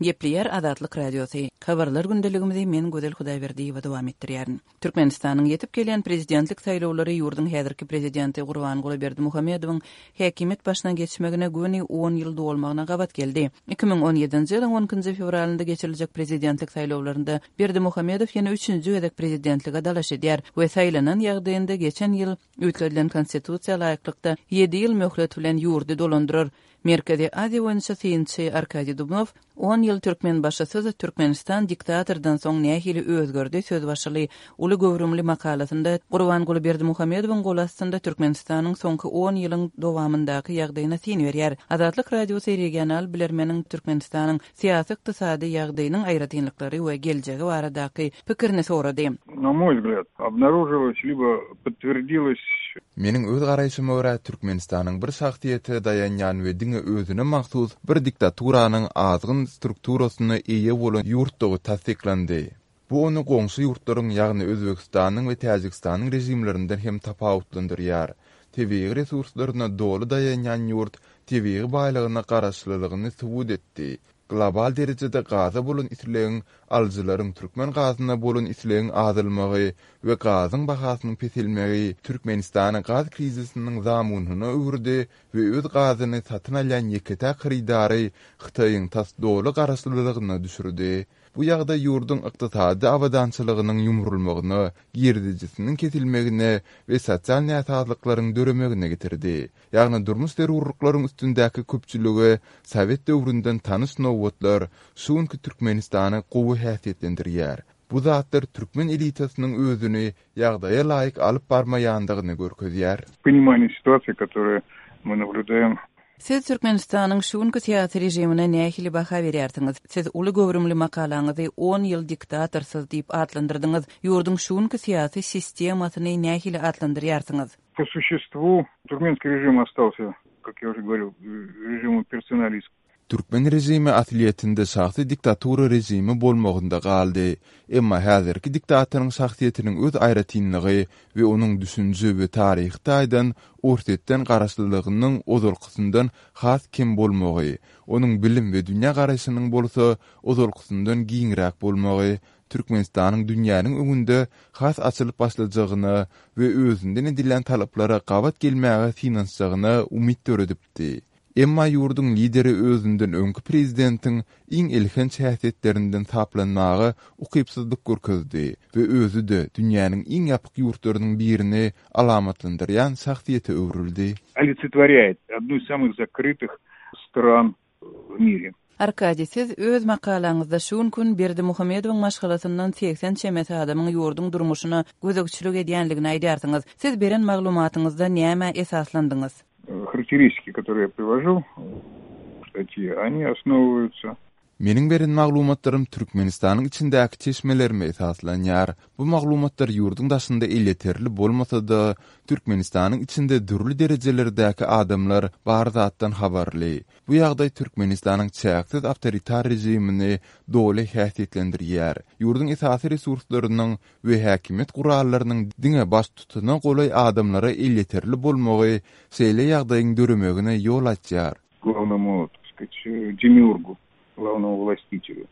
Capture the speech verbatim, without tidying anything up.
Gepleýär Azatlyk Radiosy. Habarlar gündeligimizi men Gözel Hudaýberdiýewa dowam etdirýärin. Türkmenistanyň ýetip gelýän prezidentlik saýlawlary ýurduň häzirki prezidenti Gurbanguly Berdimuhamedowyň häkimiýet başyna geçmegine göni on ýyl dolmagyna gabat geldi. Iki müň on ýedinji ýylyň on ikinji fewralynda geçiriljek prezidentlik saýlawlarynda Berdimuhamedow ýene üçünji gezek prezidentlige dalaş edýär we saýlanan ýagdaýynda geçen ýyl üýtgedilen konstitusiýa laýyklykda ýedi ýyl möhlet bilen ýurdy dolandyrar. Merkezi Aziýa boýunça synçy Arkadiý Dubnow on ýyl Türkmenbaşysyz Türkmenistan diktatordan soň nähili özgerdi söz başyly uly göwrümli makalasynda Gurbanguly Berdimuhamedowyň goly astynda Türkmenistanyň soňky on ýylyň dowamyndaky ýagdaýyna syn berýär. Azatlyk Radiosy regional bilermeniň Türkmenistanyň syýasy-ykdysady ýagdaýynyň aýratynlyklary we geljegi baradaky pikirini sorady. Na moý wzglýad, obnaružilось libo podtwerdilось. Meniň öz garaýşyma görä, Türkmenistanyň bir şahsyýete daýanýan we diňe özüne mahsus bir diktaturanyň azgyn strukturasyna eýe bolan ýurtdugy tassyklandy. Bu ony goňşy ýurtlaryň, ýagny Özbegistanyň we Täjigistanyň režimlerinden hem tapawutlandyrýar. Tebigy resurslaryna doly daýanýan ýurt tebigy baýlygyna garaşlylygyny subut etdi. Global derejede gaza bolan islegiň, alyjylaryň türkmen gazyna bolan islegiň azalmagy we gazyň bahasynyň peselmegi Türkmenistany gaz krizisiniň zamunyna öwürdi we öz gazyny satyn alýan ýeke-täk hyrydary Hytaýyň tas doly garaşlylygyna düşürdi. Bu ýagdaý ýurduň ykdysady abadançylygynyň ýumrulmagyna, girdejisiniň kesilmegine we sosial näsazlyklaryň döremegine getirdi. Ýagny durmuş zerurlyklaryň üstündäki köpçülige sowet döwründen tanyş nobatlar şu günki Türkmenistany gowy häsiýetlendirýär. Bu zatlar türkmen elitasynyň özüni ýagdaýa laýyk alyp barmaýandygyny görkezýär. Понимание ситуации, которую мы наблюдаем. Siz Türkmenistanyň şu günki syýasy režimine nähili baha berýärsiňiz? Siz uly göwrümli makalaňyzy on ýyl diktatorsyz diýip atlandyrdyňyz. Ýurduň şu günki syýasy sistemasyny nähili atlandyrýarsyňyz? По существу туркменский режим остался, как я уже говорил, режимом персоналистским. Türkmen režimi aslyýetinde şahsy diktatura režimi bolmagynda galdy. Emma häzirki diktatoryň şahsyýetiniň öz aýratynlygy we onuň düşünje we taryhy taýdan Orsýetden garaşlylygynyň ozalkysyndan has kem bolmagy, onuň bilim we dünýä garaýşynyň bolsa ozalkysyndan giňräk bolmagy, Türkmenistanyň dünýäniň öňünde has açylyp başlajagyna we özünden edilýän talaplara gabat gelmäge synanyşjagyna umyt döredipdi. Emma ýurduň lideri özünden öňki prezidentiň iň elhenç häsiýetlerinden saplanmaga ukypsyzlyk görkezdi we özi-de dünýäniň iň ýapyk ýurtlarynyň birini alamatlandyrýan şahsyýete öwrüldi. Олицетворяет одну из самых закрытых стран в мире. Arkadiý, siz öz makalaňyzda şu gün Berdimuhamedowyň maşgalasyndan seksen çemesi adamyň ýurduň durmuşyna gözegçilik edýänligini aýdýarsyňyz. Siz beren maglumatyňyzda näme esaslandyňyz? Характеристики, которые я привожу в статье, они основываются Meniň beren maglumatlarym Türkmenistanyň içindäki çeşmelerime esaslanýar. Bu maglumatlar ýurduň daşynda elýeterli bolmasa-da, Türkmenistanyň içinde dürli derejelerdäki adamlar bar zatdan habarly. Bu ýagdaý Türkmenistanyň çäksiz awtoritar režimini doly häsiýetlendirýär. Ýurduň esasy resurslarynyň we häkimiýet gurallarynyň diňe baş tutana golaý adamlara elýeterli bolmagy şeýle ýagdaýyň döremegine ýol açýar. Главному, так сказать, демиургу, главному властителю.